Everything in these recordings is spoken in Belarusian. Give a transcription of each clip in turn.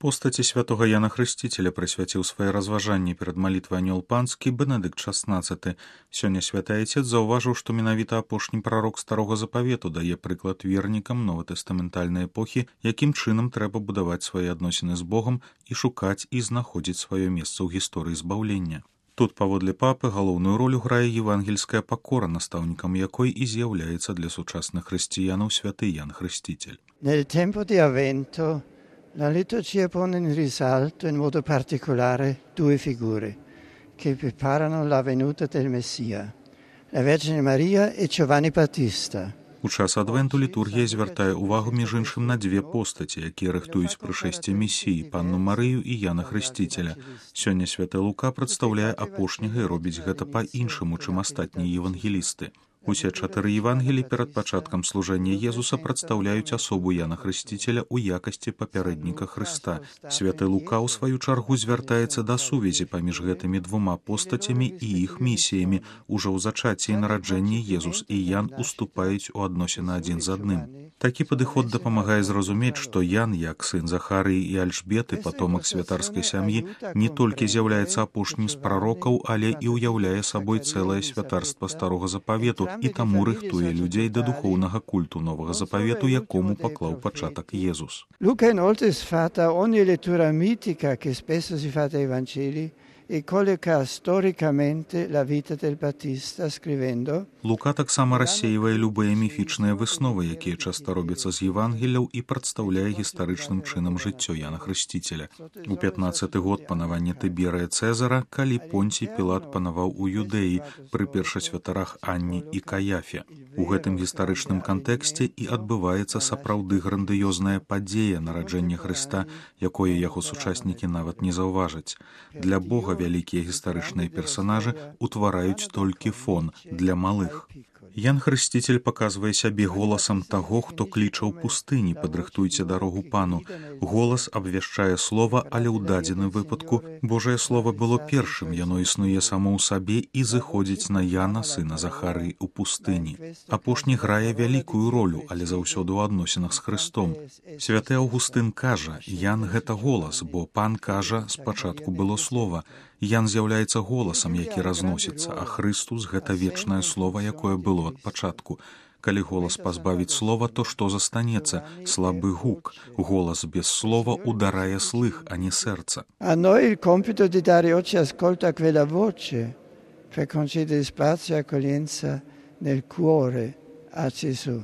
Постаці святого Яна Хрысціцеля прысвяціў свае разважанні перад малітвай анёл панскі Бенедыкт XVI. Сёння святы айцец заўважыў, што менавіта апошні прарок старога запавету дае прыклад вернікам новатэстаментальнай эпохі, якім чынам трэба будаваць свае адносіны з Богам і шукаць і знаходзіць сваё месца ў гісторыі збаўлення. Тут, паводле папы, галоўную ролю грае евангельская пакора, настаўнікам якой і з'яўляецца для сучасных хрысціянаў святы Ян Хрысціцель. La liturgia pone in risalto in modo particolare due figure che preparano la venuta del Messia, la Vergine Maria e Giovanni Battista. У час адвенту літургія звяртае ўвагу між іншым на дзве постаці, якія рыхтуюць прышэсце Месіі, панну Марыю і Яна Хрысціцеля. Сёння святы Лука прадстаўляе апошняга і робіць гэта па-іншаму, чым астатнія евангелісты. Усе 4 Євангелі перад пачаткам служэння Езуса прадстаўляюць асобу Яна Хрысціцеля ў якасці папярэдніка Хрыста. Святы Лука ў сваю чаргу звяртаецца да сувязі паміж гэтымі двума постацямі і іх місіямі. Ужо ў зачацці і нараджэнні Езус і Ян уступаюць у адносіны адзін з адным. Такі падыход дапамагае зразумець, што Ян, як сын Захарыі і Альжбеты, патомак святарскай сям'і, не толькі з'яўляецца апошнім з прарокаў, але і ўяўляе сабой цэлае святарства старога запавету, і таму рыхтуе людзей да духоўнага культу новага запавету, якому паклаў пачатак Езус. Luca inoltre sfata ogni lettura mitica che spesso si fa dai Vangeli e colloca storicamente la vita del Battista scrivendo. Лука таксама рассеивае любыя міфічныя высновы, якія часта робяцца з Євангеляў, і прадстаўляе гістарычным чынам жыццё Яна Хрысціцеля. У 15-й год панавання Тыберыя Цэзара, калі Понцій Пілат панаваў у Юдэі пры першасвятарах Анні і Каяфе. У гэтым гістарычным кантэксце і адбываецца сапраўды грандыёзная падзея нараджэння Хрыста, якое яго сучаснікі нават не заўважаць. Для Бога вялікія гістарычныя персанажы ўтвараюць толькі фон для малых. Ян Хрысціцель паказвае сябе голасам таго, хто кліча ў пустыні: «Падрыхтуйце дарогу пану». Голас абвяшчае слова, але ў дадзеным выпадку Божае слово было першым, яно існуе само ў сабе і зыходзіць на Яна, сына Захарыі, у пустыні. Апошні грае вялікую ролю, але заўсёды ў адносінах з Хрыстом. Святы Аўгустын кажа: «Ян — гэта голас, бо пан кажа, спачатку было слова». Ян з'яўляецца голасам, які разносіцца, а Хрыстус — гэта вечнае слова, якое было ад пачатку. Калі голас пазбавіць слова, то што застанецца? Слабы гук. Голас без слова ударае слых, а не сэрца. A noi il compito di dare oggi ascolto a quella voce per concedere spazio e accoglienza nel cuore a Gesù.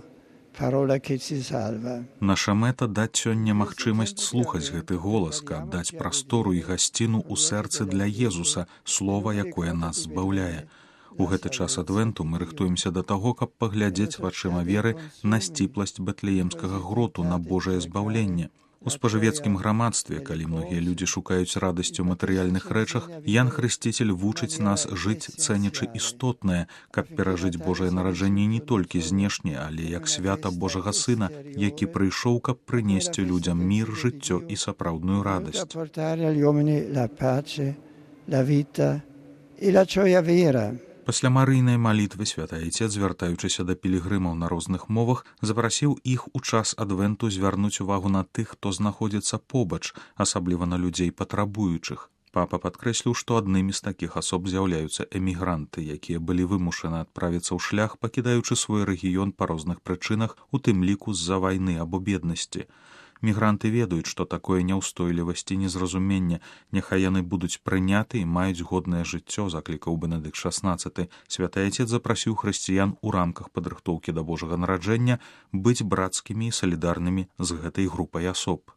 Parola che ci salva. Наша мэта — даць сёння магчымасць слухаць гэты голас, каб даць прастору і гасціну ў сэрцы для Езуса, слова, якое нас збаўляе. У гэты час адвенту мы рыхтуемся да таго, каб паглядзець вачыма веры на сціпласць бэтлеемскага гроту, на Божае збаўленне. У спажывецкім грамадстве, калі многія людзі шукаюць радасці ў матэрыяльных рэчах, Ян Хрысціцель вучыць нас жыць, цэнячы істотнае, каб перажыць Божае нараджэнне не толькі знешне, але як свята Божага Сына, які прыйшоў, каб прынесці людзям мір, жыццё і сапраўдную радасць. Пасля марыйнай малітвы святы айцец, звяртаючыся да пілігрымаў на розных мовах, запрасіў іх у час адвенту звярнуць увагу на тых, хто знаходзіцца побач, асабліва на людзей патрабуючых. Папа падкрэсліў, што аднымі з такіх асоб з'яўляюцца эмігранты, якія былі вымушаны адправіцца ў шлях, пакідаючы свой рэгіён па розных прычынах, у тым ліку з-за вайны або беднасці. Мігранты ведаюць, што такое няўстойлівасць і незразуменне. Няхай яны будуць прыняты і маюць годнае жыццё, заклікаў Бенедыкт XVI. Святы айцец запрасіў хрысціян у рамках падрыхтоўкі да Божага нараджэння быць брацкімі і салідарнымі з гэтай групай асоб.